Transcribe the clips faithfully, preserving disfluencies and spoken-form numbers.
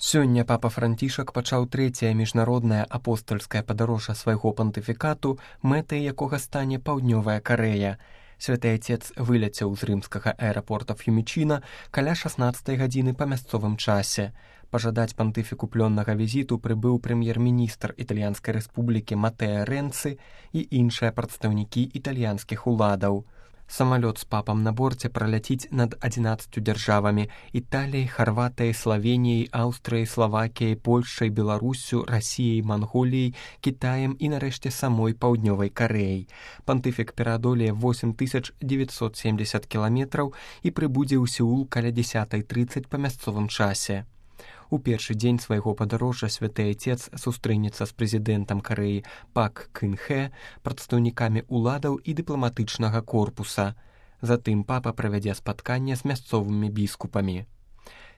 Сёння папа Францішак пачаў трэцяе міжнароднае апостальскае падарожжа свайго пантыфікату, мэтай якога стане Паўднёвая Карэя. Святы Отец выляцеў з рымскага аэрапорта Ф'юмічына каля шаснаццатай гадзіны па мясцовым часе. Пажадаць пантыфіку плённага візіту прыбыў прэм'ер-міністр Італьянскай рэспублікі Матэа Рэнцы і іншыя прадстаўнікі італьянскіх уладаў. Самалёт з папам на борце праляціць над адзінаццаццю дзяржавамі – Італіяй, Харватыяй, Славеніяй, Аўстрыяй, Славакіяй, Польшай, Беларуссю, Расіяй, Манголіяй, Кітаем і нарэшце самой Паўднёвай Карэяй. Пантыфік пераадолее восем тысяч дзевяцьсот семьдесят кіламетраў і прыбудзе ў Сеул каля дзесятай трыццаць па мясцовым часе. У першы дзень свайго падарожжа святы Отец сустрэнецца з прэзідэнтам Карэі Пак Кын Хэ, прадстаўнікамі ўладаў і дыпламатычнага корпуса. Затым папа правядзе спатканне з мясцовымі біскупамі.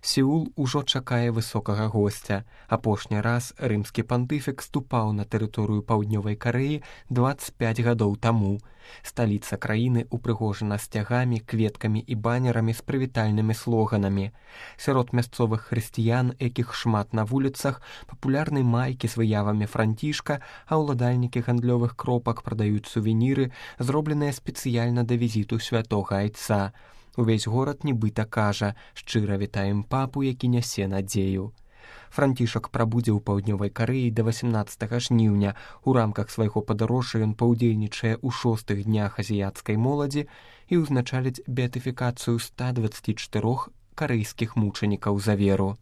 Сеул ужо чакае высокага госця. Апошні раз рымскі пантыфік ступаў на тэрыторыю Паўднёвай Карэі дваццаць пяць гадоў таму. Сталіца краіны упрыгожана сцягамі, кветкамі і банерамі з прывітальнымі слоганамі. Сярод мясцовых хрысціян, якіх шмат на вуліцах, папулярны майкі з выявамі Францішка, а ўладальнікі гандлёвых кропак прадаюць сувеніры, зробленыя спецыяльна да візіту святога Айца. Увесь горад нібыта кажа: шчыра вітаем папу, які нясе надзею. Францішак прабудзе ў Паўднёвай Карэі да васямнаццатага жніўня. У рамках свайго падарожжа ён паўдзельнічае ў шостых днях азіяцкай моладзі і ўзначаліць беатыфікацыю ста дваццаці чатырох карэйскіх мучанікаў за веру.